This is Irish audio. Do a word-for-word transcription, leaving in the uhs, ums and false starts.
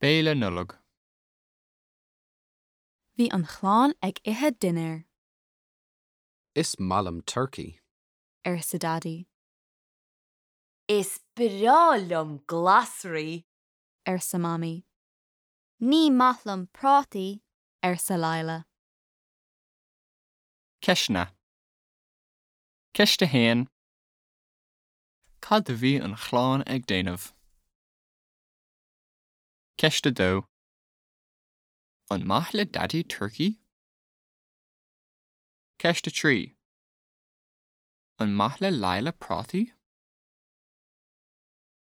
Béile Nollag. Bhí an chlann ag ithe dinnéir, Is maith liom turcaí. arsa Daidí, Is breá liom glasraí. arsa Mamaí. Ní maith liom prátaí, arsa Lila. Ceisteanna. Ceist a haon. Cad a bhí an chlann ag déanamh? Ceist a dó. An maith le Daidí turcaí? Ceist a trí. An maith le Lila prátaí?